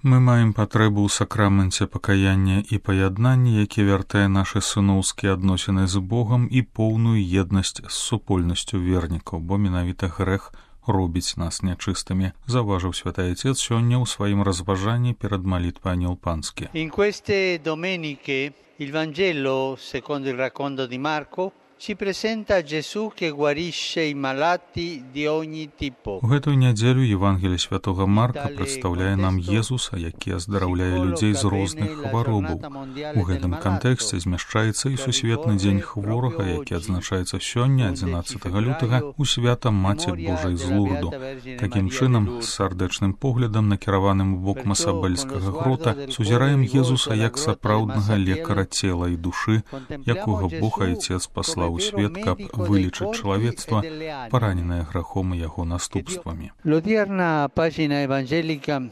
Мы маем патрэбу ў сакраменце пакаяння і паяднання, які вяртае нашы сыноўскія адносіны з Богам і поўную еднасць з супольнасцю вернікаў, бо менавіта грэх робіць нас нячыстымі, заўважыў святы Отец сёння ў сваім разважанні перад малітвай Ангел Панскі. In queste domeniche il Vangelo, secondo il racconto di Marco, ci presenta Gesù che guarisce i malati di ogni tipo. У гэтую нядзелю Евангелие святого Марка прадстаўляе нам Езуса, які аздараўляе людзей з розных хваробаў. У гэтым кантэксце змяшчаецца і сусветны дзень хворага, які адзначаецца сёння, 11 лютага, у свята Маці Божай з Лурду. Такім чынам, з сардэчным поглядам, накіраваным у бок Масабельскага грота, сузіраем Езуса як сапраўднага лекара цела і душы, якога Бог Айцец паслаў у свет, каб вылечыць чалавецтва, параненае грахом і яго наступствамі. L'odierna pagina evangelica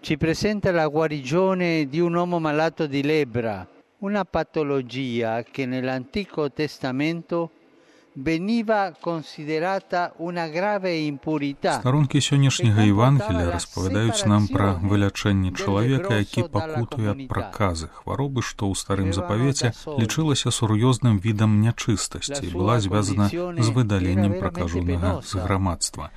ci presenta la guarigione di un uomo malato di lebbra, una patologia che nell'Antico Testamento veniva considerata una grave impurità. Старонкі сённяшняга Евангелія распавядаюць нам пра вылячэнне чалавека, які пакутуе ад праказы, хваробы, што ў старым запавеце лічылася сур'ёзным відам нячыстасці і была звязана з выдаленнем пракажонага з грамадства.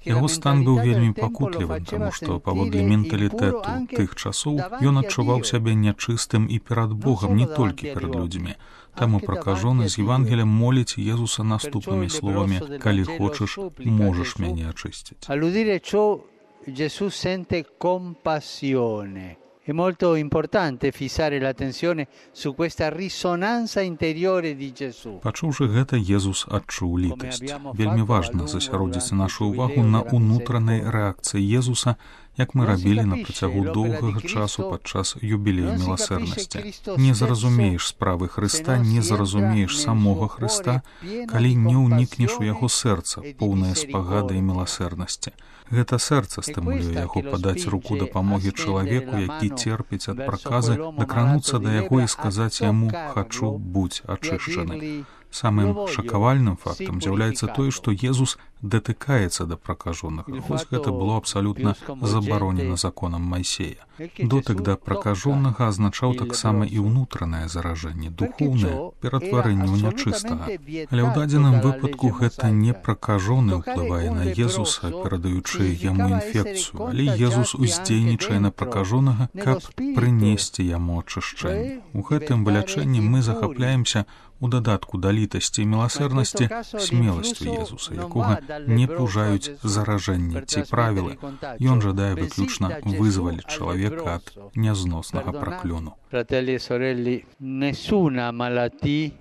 Яго стан быў вельмі пакутлівым, таму што паводле менталітэту тых часоў ён адчуваў сябе нячыстым і перад Богам, не толькі перад людзьмі. Таму пракажоны з Евангелія моліць Езуса наступнымі словамі: «Калі хочаш, можаш мяне ачысціць». All'udire ciò Gesù sente compassione. È molto importante fissare l'attenzione su questa risonanza interiore di Gesù. Пачуўшы гэта, Езус адчуў літасць. Вельмі важна засяродзіць нашу ўвагу на ўнутранай рэакцыі Езуса, як мы рабілі на працягу доўгага часу падчас юбілею міласэрнасці. Не зразумееш справы Хрыста, не зразумееш самога Хрыста, калі не ўнікнеш у яго сэрца, поўнае спагады і міласэрнасці. Гэта сэрца стымулюе яго падаць руку дапамогі чалавеку, які церпіць ад праказы, дакрануцца да яго і сказаць яму: «Хачу, будзь ачышчаны». Самым шакавальным фактам з'яўляецца тое, што Езус датыкаецца да пракажонага, хоць гэта было абсалютна забаронена законам Майсея. Дотык да пракажонага азначаў таксама і ўнутранае заражэнне, духоўнае ператварэнне ў нячыстага. Але ў дадзеным выпадку гэта не пракажоны ўплывае на Езуса, перадаючы яму інфекцыю, але Езус уздзейнічае на пракажонага, каб прынесці яму ачышчэнне. У гэтым вылячэнні мы захапляемся у дадатку да літасці і міласэрнасці смеласцю Езуса, якога не пужаюць заражэнні ці правілы. Ён жадае выключна вызваліць чалавека ад нязноснага праклёну. Fratelli e sorelle, nessuna malattia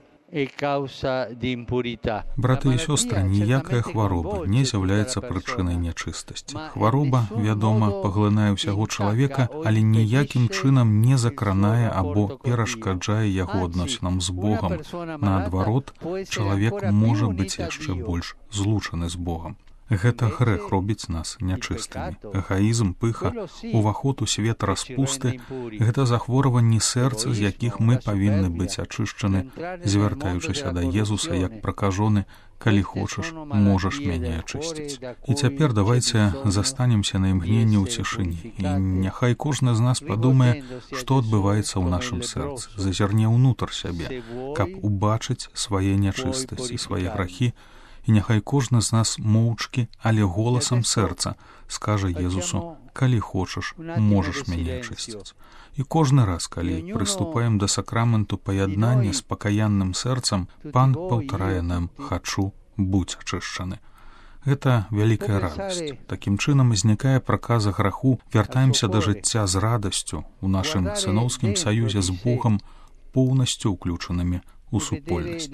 Браты і сёстры, ніякая хвароба не з'яўляецца прычынай нячыстасці. Хвароба, вядома, паглынае ўсяго чалавека, але ніякім чынам не закранае або перашкаджае яго адносінам з Богам. Наадварот, чалавек можа быць яшчэ больш злучаны з Богам. Гэта грэх робіць нас нячыстымі. Эгаізм, пыха, уваход у свет распусты — гэта захворванні сэрца, з якіх мы павінны быць ачышчаны, звяртаючыся да Езуса як пракажоны: «Калі хочаш, можаш мяне ачысціць». І цяпер давайце застанемся на імгненне ў цішыні. І няхай кожны з нас падумае, што адбываецца ў нашым сэрцы, зазірне ўнутр сябе, каб убачыць свае нячыстасці, свае грахі. І няхай кожны з нас моўчкі, але голасам сэрца скажа Езусу: «Калі хочаш, можаш мяне ачысціць». І кожны раз, калі прыступаем да сакраменту паяднання з пакаянным сэрцам, Пан паўтарае нам: «Хачу, будзь ачышчаны». Гэта вялікая радасць. Такім чынам знікае праказа граху, вяртаемся да жыцця з радасцю у нашым сыноўскім саюзе з Богам, поўнасцю ўключанымі у супольнасць.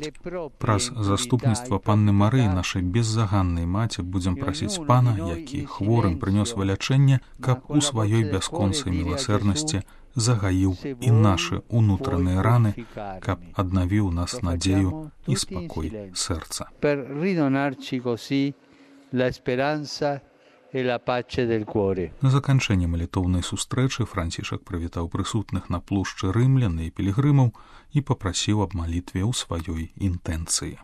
Праз заступніцтва Панны Марыі, нашай беззаганнай маці, будзем прасіць Пана, які хворым прынёс вылячэнне, каб у сваёй бясконцай міласэрнасці загаіў і нашы ўнутраныя раны, каб аднавіў нас надзею і спакой сэрца. На заканчэнне малітоўнай сустрэчы Францішак прывітаў прысутных на плошчы рымлян і пілігрымаў і папрасіў аб малітве ў сваёй інтэнцыі.